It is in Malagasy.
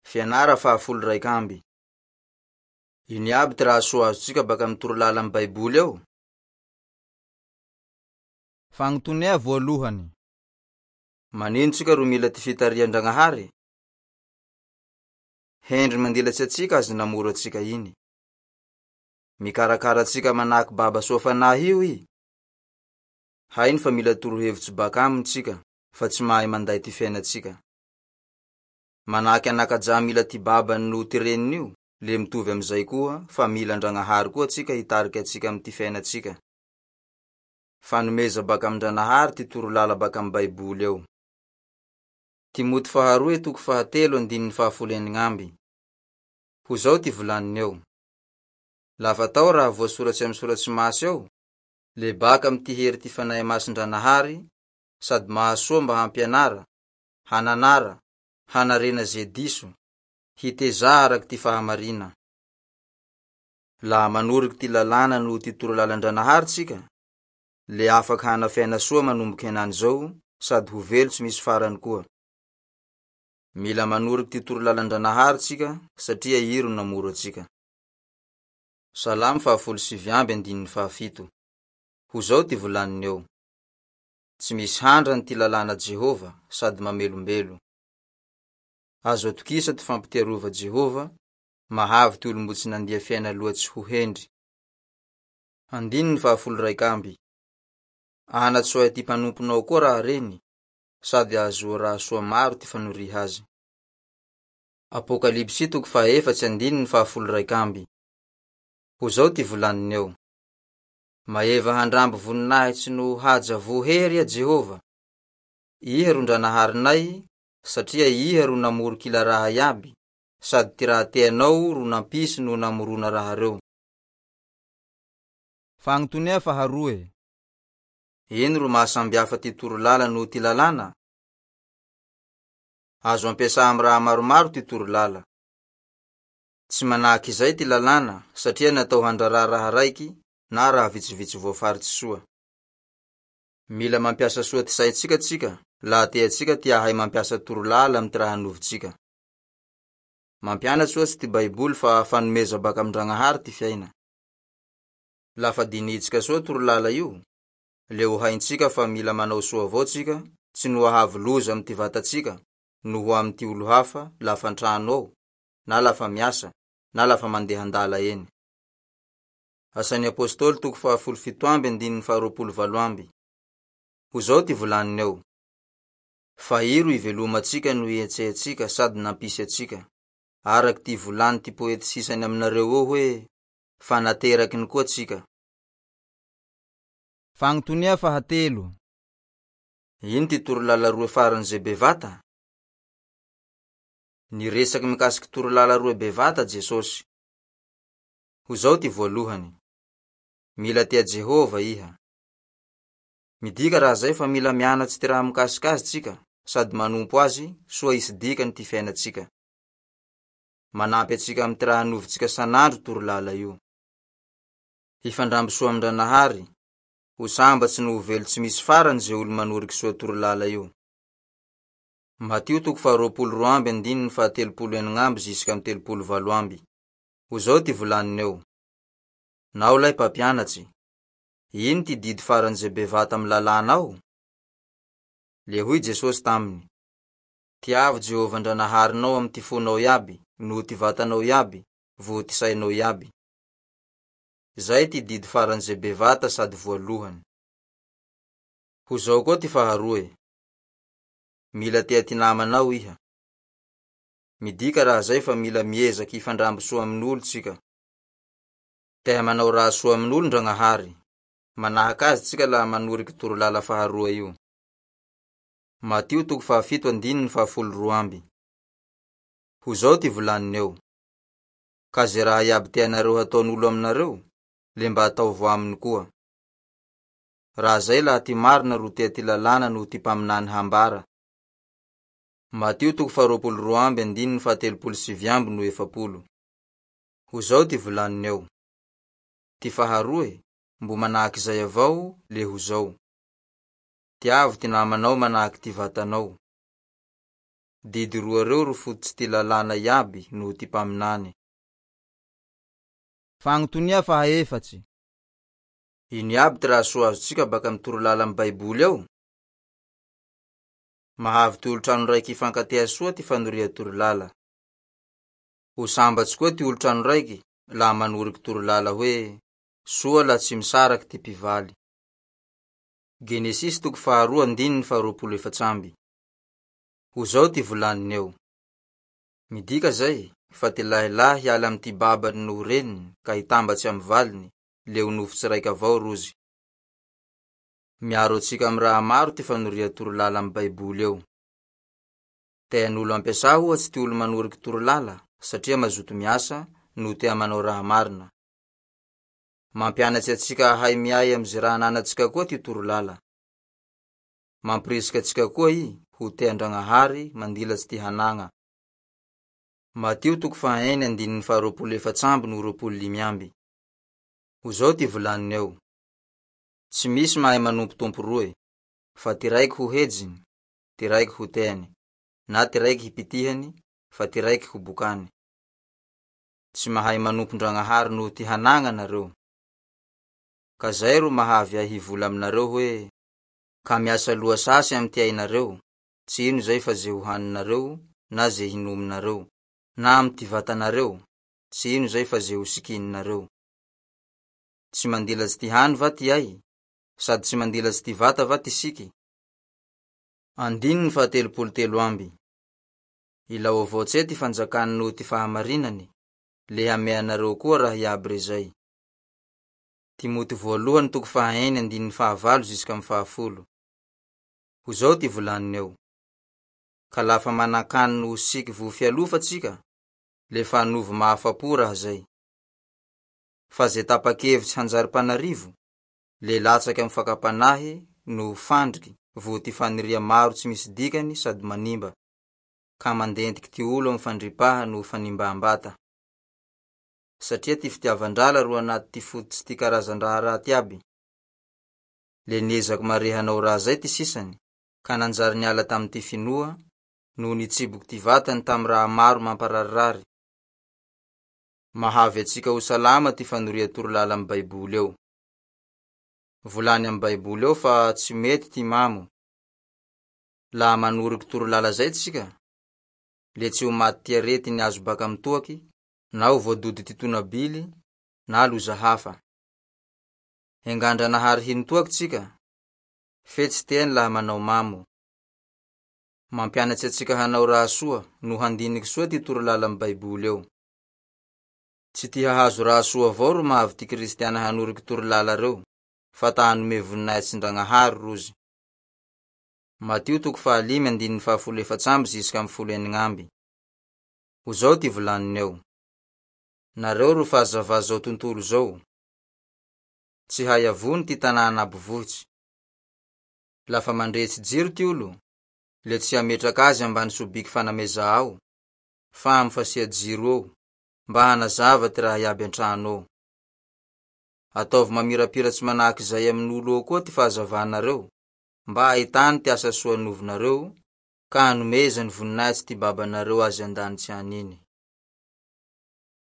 Fianara faha 11. Ino iaby ty raha soa azontsika baka amin'ny torolala amin'ny Baiboly ao? Fagnotonea voalohany. Manino tsika ro mila ty fitarihan-dragnahary? Hendry mandilatsy antsika azy namoro antsika iny. Mikarakara antsika manahaky baba soa fanahy io i. Hainy fa mila torohevitsy baka aminy tsika fa tsy mahay manday ty fiainatsika. Manahaky anakaja mila ty babany noho ty reniny io, le mitovy amizay koa fa mila andragnahary koa antsika hitariky antsika amy ty fiainatsika. Fanomeza baka amin-dranahary ty torolala baka amy Baiboly ao. Timoty faharoe toko fahatelo andininy faha 16. Ho zao ty volaniny eo. Lafa atao raha voasoratsy amy soratsy masy ao, le baka amy ty hery ty fanahy masin-dranahary sady mahasoa mba hampianara, hananara, hanarena ze diso, hiteza araky ty fahamarina. Laha manoriky ty lalàna noho ty torolalan-dranahary tsika, le afaky hana fiaina soa manomboky henany zao sady ho velo tsy misy farany koa. Mila manoriky ty torolalan-dranahary tsika satria i ro namoro antsika. Salamo faha 19 andininy faha 7. Ho zao ty volaniny eo. Tsy misy handrany ty lalàna Jehovah sady mamelombelo. Azo atokisa ty fampitiarova Jehovah, mahavy ty olo mbo tsy nandia fiaina loatsy ho hendry. Andininy faha 11. Anatsoay ty mpanomponao koa raha reny, sady ahazoa raha soa maro ty fanoriha azy. Apokalypsy toko faha-4 andininy faha-11. Ho zao ty volaniny eo. Maeva handramby voninahitsy no haja vohery a Jehovah. Iha ro ndranaharinay, satria iha ro namoro kila raha iaby, sady ty raha teanao ro nampisy no namorona raha reo. Fagnotonea faharoe. Ino ro mahasambihafa ty torolala noho ty lalàna? Azo ampiasa amy raha maromaro ty torolala. Tsy manahaky izay ty lalàna satria natao handrara raha raiky na raha vitsivitsy voafaritsy soa. Mila mampiasa soa ty saitsika tsika, laha teatsika ty ahay mampiasa torolala amy ty raha novotsika. Mampianatsy ohatsy ty Baiboly fa fanomeza baka amin-dragnahary ty fiaina. Lafa dinitsika soa torolala io, le ho haintsika fa mila manao soa avao tsika, tsy no ahavy loza amy ty vatatsika, noho amy ty olo hafa lafa an-trano ao, na lafa miasa, na lafa mandeha an-dala eny. Asan'ny Apôstôly toko faha-17 andininy faha-28. Ho zao ty volaniny eo. Fa iro ivelomatsika no ihetsehatsika sady nampisy atsika. Araky ty volany ty poety sisany aminareo eo hoe fa nateraky koa tsika. Fagnotonia fahatelo. Ino ty torolala roe farany ze bevata? Niresaky mikasiky torolala roe bevata Jesosy. Ho zao ty voalohany. Mila tia Jehovah iha. Midika raha zay fa mila mianatsy ty raha mikasiky azy tsika sady manompo azy soa hisy dikany ty fiainatsika. Manampy antsika amy ty raha novotsika sanandro torolala io. Hifandramby soa amin-dranahary, ho sambatsy no ho velo tsy misy farany ze olo manoriky soa torolala io. Matio toko faha-22 andininy faha-36 ziska amy 38. Ho zao ty volaniny eo. Nao lay mpampianatsy, ino ty didy farany ze bevata amy lalàna ao? Le hoy Jesosy taminy, Tiavo Jehovah ndranaharinao amy ty fonao iaby, noho ty vatanao iaby, vo ty sainao iaby. Zay ty didy farany ze bevata sady voalohany. Ho zao koa ty faharoe. Mila tea ty namanao iha. Midika raha zay fa mila miezaky hifandramby soa amin'olo tsika. Tea manao raha soa amin'olo ndragnahary. Manahaky azy tsika laha manoriky torolala faharoa io. Matio toko faha-7 andininy faha-12. Ho zao ty volaniny eo. Ka ze raha iaby tianareo hataon'olo aminareo, le mba ataovo aminy koa. Raha zay laha ty marina ro tea ty lalàna noho ty mpaminany hambara. Matio toko faha-22 andininy faha-39 no 40. Ho zao ty volaniny eo. Ty faharoe, mbo manahaky zay avao, le ho zao. Tiavo ty namanao manahaky ty vatanao. Didy roa reo ro fototsy ty lalàna iaby noho ty mpaminany. Fagnotonia fahaefatsy. Ino iaby ty raha soa azontsika baka amy torolala amy Baiboly ao? Mahavy ty olo-trano raiky hifankatea soa ty fanoria torolala. Ho sambatsy koa ty olo-trano raiky laha manoriky torolala hoe soa laha tsy misaraky ty mpivaly. Genesisy toko faharoa andininy faha-24. Ho zao ty volaniny eo. Midika zay fa ty lahilahy hiala amy ty babany noho reniny ka hitambatsy amy valiny, le ho nofotsy raiky avao rozy. Miaro antsika amy raha maro ty fanoria torolala amy Baiboly ao. Tean'olo ampiasà ohatsy ty olo manoriky torolala satria mazoto miasa noho tea manao raha marina. Mampianatse antsika hahay miay amy ze raha ananatsika koa ty torolala. Mampirisika antsika koa i ho tea Andragnahary mandilatsy ty hanagna. Matio toko fahaeny andininy faha-24 noho 25. Ho zao ty volaniny eo. Tsy misy mahay manompo tompo roe, fa ty raiky ho hejiny, ty raiky ho teany, na ty raiky hipitihany, fa ty raiky ho bokany. Tsy mahay manompo Ndragnahary noho ty hanagna nareo. Ka zay ro mahavy ahy hivola aminareo hoe, ka miasa loha sasy amy ty ainareo, tsy ino zay fa ze hohaninareo na ze hinominareo, na amy ty vatanareo, tsy ino zay fa ze ho sikininareo. Tsy mandilatsy ty hany va ty ay? Sady tsy mandilatsy ty vata va ty siky? Andininy faha-33. Ilao avao tse ty fanjakany noho ty fahamarinany, le hameanareo koa raha iaby rezay. Timoty voalohany toko fahaeny andininy fahavalo zisk'amy fahafolo. Ho zao ty volaniny eo. Ka lafa manan-kany noho siky vo fialofa tsika, le fa anovo mahafa-po raha zay. Fa ze tapa-kevitsy hanjary mpanarivo, le latsaky amy fakam-panahy noho fandriky vo ty fagniria maro tsy misy dikany sady manimba, ka mandentiky ty olo amy fandripaha noho fanimbam-bata. Satria ty fitiavan-drala ro anaty ty fototsy ty karazan-draha raty iaby. Le niezaky mare hanao raha zay ty sisany, ka nanjary niala tamy ty finoa, noho nitsiboky ty vatany tamy raha maro mampararirary. Mahavy antsika ho salama ty fanoria torolala amy Baiboly ao. Volany amy Baiboly ao fa tsy mety ty mamo. Laha manoriky torolala zay tsika, le tsy ho maty ty arety niazo baka amy toaky, na ho voadody ty tonabily, na loza hafa. Engandranahary hino toaky tsika, fe tsy teany laha manao mamo. Mampianatse antsika hanao raha soa no handiniky soa ty torolala amy Baiboly ao. Tsy ty hahazo raha soa avao ro mahavy ty kristiana hanoriky torolala reo, fa ta hanome voninahitsy Ndragnahary rozy. Matio toko fahalimy andininy faha-14 zisk'amy 16. Ho zao ty volaniny eo. Nareo ro fahazavà zao tontolo zao. Tsy hay avony ty tanà anabo vohitsy. Lafa mandrehitsy jiro ty olo, le tsy hametraky azy ambany sobiky fanameza ao, fa amy fasia jiro eo, mba hanazava ty raha iaby an-trano ao. Ataovy mamirapiratsy manahaky zay amin'olo eo koa ty fahazavanareo, mba hahitany ty asa soa novinareo, ka hanomezany voninahitsy ty babanareo azy an-danitsy any iny.